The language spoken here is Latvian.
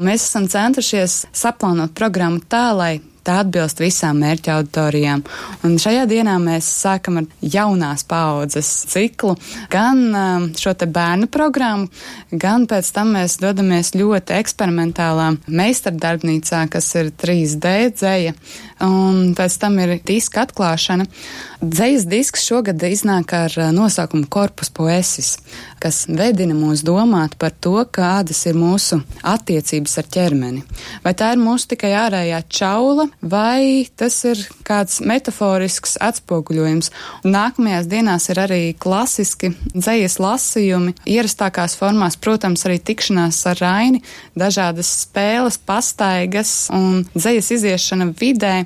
Mēs esam centušies saplānot programmu tā, lai tā atbilst visām mērķa auditorijām. Un šajā dienā mēs sākam ar jaunās paaudzes ciklu, gan šo te bērnu programmu, gan pēc tam mēs dodamies ļoti eksperimentālā meistardarbnīcā, kas ir 3D dzeja, un pēc tam ir diska atklāšana. Dzejas disks šogad iznāk ar nosaukumu Corpus Poesis, kas vedina mūs domāt par to, kādas ir mūsu attiecības ar ķermeni. Vai tā ir mūsu tikai ārējā čaula, vai tas ir kāds metaforisks atspoguļojums. Un nākamajās dienās ir arī klasiski dzejas lasījumi, ierastākās formās, protams, arī tikšanās ar Raini, dažādas spēles, pastaigas un dzejas iziešana vidē.